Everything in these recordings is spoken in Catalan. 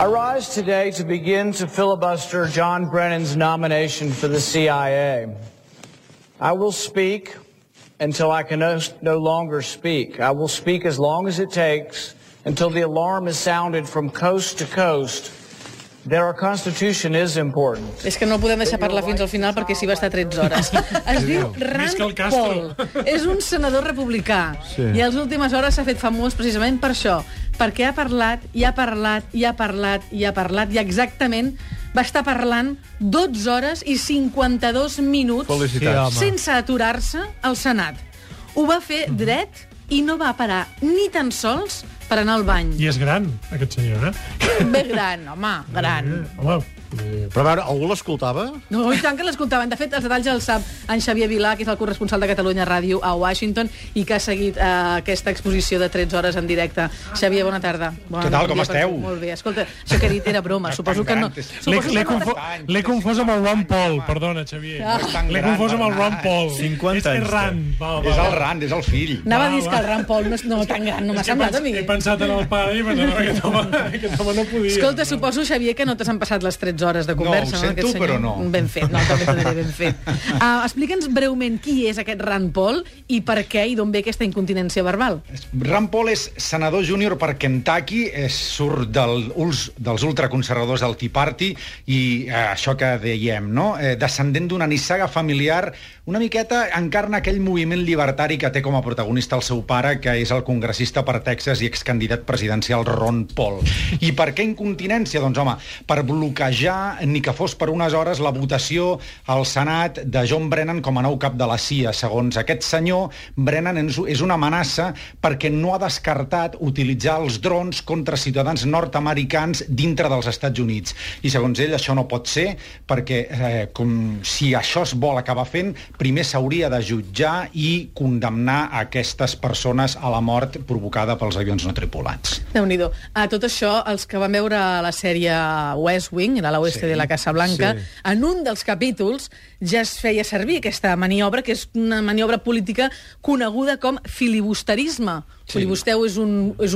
I rise today to begin to filibuster John Brennan's nomination for the CIA. I will speak until I can no longer speak. I will speak as long as it takes until the alarm is sounded from coast to coast that our Constitution is important. És que no el podem deixar parlar fins al final perquè s'hi va estar 13 hores. Es diu Rand Paul. És un senador republicà. I a les últimes hores s'ha fet famós precisament per això. Perquè ha parlat, i ha parlat, i ha parlat, i ha parlat, i exactament va estar parlant 12 hores i 52 minuts sense aturar-se al Senat. Ho va fer dret i no va parar ni tan sols per anar al bany. I és gran, aquest senyor, Ben gran, home, gran. Home, però a veure, algú l'escoltava? No, i tant que l'escoltaven. De fet, els detalls els sap en Xavier Vilà, que és el corresponsal de Catalunya Ràdio a Washington i que ha seguit aquesta exposició de 13 hores en directe. Xavier, bona tarda. Què tal, com esteu? Molt bé. Escolta, això que he dit era broma. Suposo que no... L'he confós amb el Ron Paul, perdona, Xavier. L'he confós amb el Ron Paul. 50 anys. És Rand. És el Rand, és el fill. Anava a dir que el Rand Paul no tan gran, no m'ha semblat a mi. He pensat en el pare i pensava que aquest home no podia. Escolta, suposo, Xavier, que no t'has passat les 13 hores de conversa. No, ho sento, però no. Ben fet, no, també t'ho diré ben fet. Explica'ns breument qui és aquest Rand Paul i per què i d'on ve aquesta incontinència verbal. Rand Paul és senador júnior per Kentucky, surt dels ultraconservadors del Tea Party i això que dèiem, no? Descendent d'una nissaga familiar, una miqueta encarna aquell moviment llibertari que té com a protagonista el seu pare, que és el congressista per Texas i excandidat presidencial Ron Paul. I per què incontinència? Doncs, home, per bloquejar, ni que fos per unes hores, la votació al Senat de John Brennan com a nou cap de la CIA. Segons aquest senyor, Brennan és una amenaça perquè no ha descartat utilitzar els drons contra ciutadans nord-americans dintre dels Estats Units. I segons ell això no pot ser perquè si això es vol acabar fent, primer s'hauria de jutjar i condemnar aquestes persones a la mort provocada pels avions no tripulats. Déu-n'hi-do. A tot això, els que van veure la sèrie West Wing, de l'oeste de la Casa Blanca, en un dels capítols ja es feia servir aquesta maniobra, que és una maniobra política coneguda com filibusterisme. Filibusteu és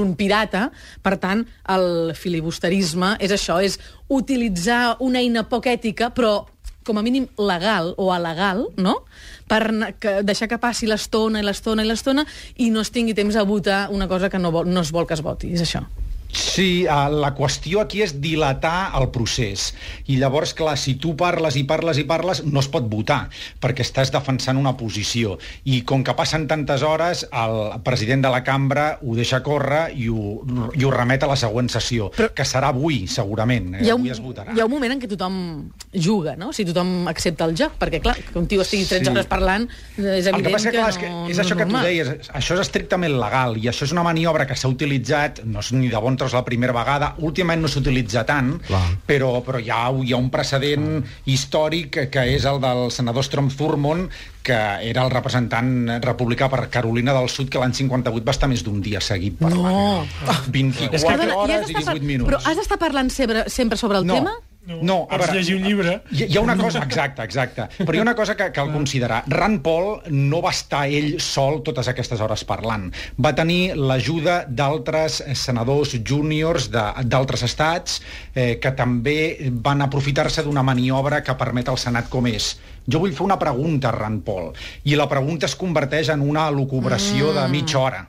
un pirata, per tant, el filibusterisme és això, és utilitzar una eina poc ètica, però com a mínim legal o alegal, no?, per deixar que passi l'estona i l'estona i l'estona i no es tingui temps a votar una cosa que no es vol que es voti. És això. Sí, la qüestió aquí és dilatar el procés. I llavors, clar, si tu parles i parles i parles, no es pot votar, perquè estàs defensant una posició. I com que passen tantes hores, el president de la cambra ho deixa córrer i ho remet a la següent sessió, que serà avui, segurament. Avui es votarà. Hi ha un moment en què tothom juga, no? Si tothom accepta el joc, perquè, clar, que un tio estigui 13 hores parlant, és evident que no és normal. És això que tu deies, això és estrictament legal, i això és una maniobra que s'ha utilitzat, no és ni de bon tros la primera vegada, últimament no s'utilitza tant, però hi ha un precedent històric que és el del senador Strom Thurmond, que era el representant republicà per Carolina del Sud, que l'any 58 va estar més d'un dia seguit parlant. 24 hores i 18 minuts. Però has d'estar parlant sempre sobre el tema? No, a veure, llegir un llibre. Hi ha una cosa, exacte, però hi ha una cosa que cal considerar. Rand Paul no va estar ell sol totes aquestes hores parlant. Va tenir l'ajuda d'altres senadors júniors d'altres estats que també van aprofitar-se d'una maniobra que permet al Senat com és. Jo vull fer una pregunta a Rand Paul, i la pregunta es converteix en una elucubració de mitja hora.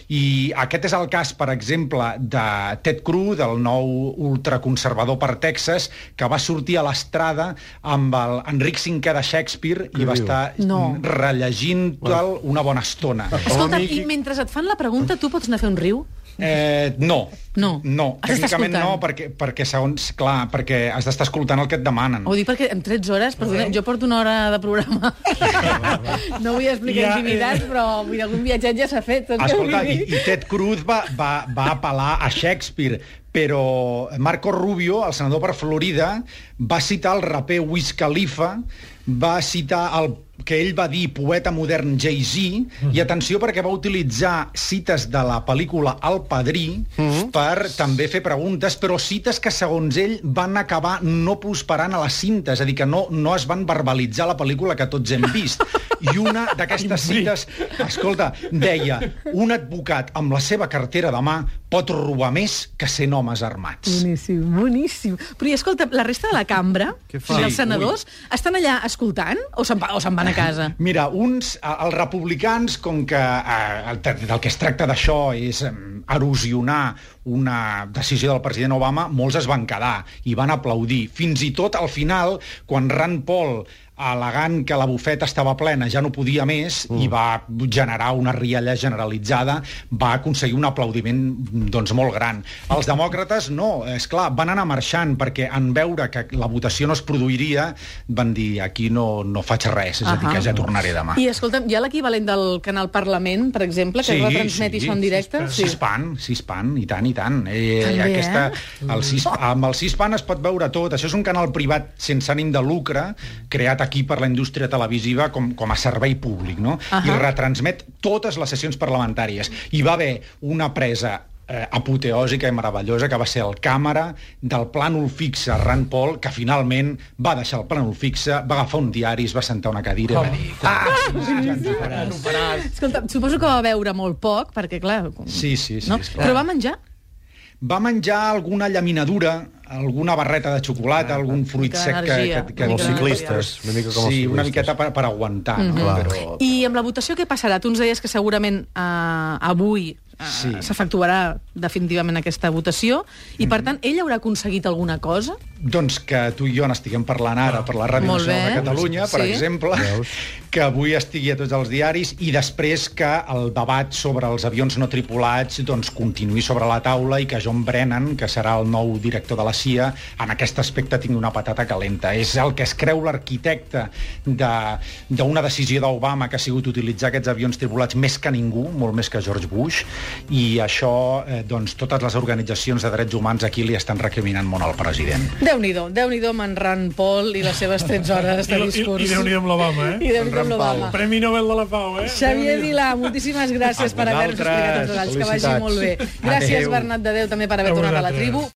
I aquest és el cas, per exemple, de Ted Cruz, del nou ultraconservador per Texas, que va sortir a l'estrada amb el Enric V de Shakespeare i va estar rellegint-te'l una bona estona. Escolta, i mentre et fan la pregunta, tu pots anar a fer un riu? No. Has Tècnicament no, perquè segons, clar, perquè has d'estar escoltant el que et demanen. Ho dic perquè en 13 hores, perdona, jo porto una hora de programa. No vull explicar intimitats, però algun viatget ja s'ha fet. Escolta, i Ted Cruz va apel·lar a Shakespeare, però Marco Rubio, el senador per Florida, va citar el raper Wiz Khalifa, va citar que ell va dir poeta modern Jay-Z, i atenció perquè va utilitzar cites de la pel·lícula El Padrí per també fer preguntes, però cites que segons ell van acabar no prosperant a la cinta, és a dir, que no es van verbalitzar la pel·lícula que tots hem vist. I una d'aquestes cites, escolta, deia: un advocat amb la seva cartera de mà pot robar més que 100 homes armats. Boníssim, boníssim. Però i escolta, la resta de la cambra, els senadors, estan allà escoltant o se'n van a casa? Mira, els republicans, com que del que es tracta d'això és erosionar una decisió del president Obama, molts es van quedar i van aplaudir. Fins i tot, al final, quan Rand Paul, al·legant que la bufeta estava plena, ja no podia més, i va generar una rialla generalitzada, va aconseguir un aplaudiment doncs molt gran. Els demòcrates no, és clar, van anar marxant perquè en veure que la votació no es produiria van dir: aquí no faig res, és a dir, que ja tornaré demà. I escolta'm, hi ha l'equivalent del canal Parlament, per exemple, que retransmet això en directe? C-SPAN, i tant, i tant. Amb el C-SPAN es pot veure tot. Això és un canal privat sense ànim de lucre, creat aquí per la indústria televisiva com a servei públic, no? I retransmet totes les sessions parlamentàries. Hi va haver una presa apoteòsica i meravellosa que va ser el càmera del plànol fixe Rand Paul, que finalment va deixar el plànol fixe, va agafar un diari, es va sentar a una cadira i va dir: Escolta, suposo que va beure molt poc, perquè clar... Sí, però va menjar? Va menjar alguna llaminadura, alguna barreta de xocolata, algun fruit sec que els ciclistes, una mica com els ciclistes. Sí, una miqueta per aguantar. I amb la votació què passarà? Tu ens deies que segurament avui s'efectuarà definitivament aquesta votació i, per tant, ell haurà aconseguit alguna cosa? Doncs que tu i jo n'estiguem parlant ara per la Ràdio Nacional de Catalunya, per exemple, que avui estigui a tots els diaris, i després que el debat sobre els avions no tripulats doncs continuï sobre la taula i que John Brennan, que serà el nou director de la CIA, en aquest aspecte tingui una patata calenta. És el que es creu l'arquitecte d'una decisió d'Obama, que ha sigut utilitzar aquests avions tripulats més que ningú, molt més que George Bush, i això, doncs, totes les organitzacions de drets humans aquí li estan recriminant molt al president. Déu-n'hi-do amb en Rand Paul i les seves 13 hores de discurs. I Déu-n'hi-do amb l'Obama, I Déu-n'hi-do amb l'Obama. Premi Nobel de la Pau, Xavier Vilà, moltíssimes gràcies per haver-nos explicat els detalls. Que vagi molt bé. Gràcies, Bernat de Déu, també per haver tornat a la tribu.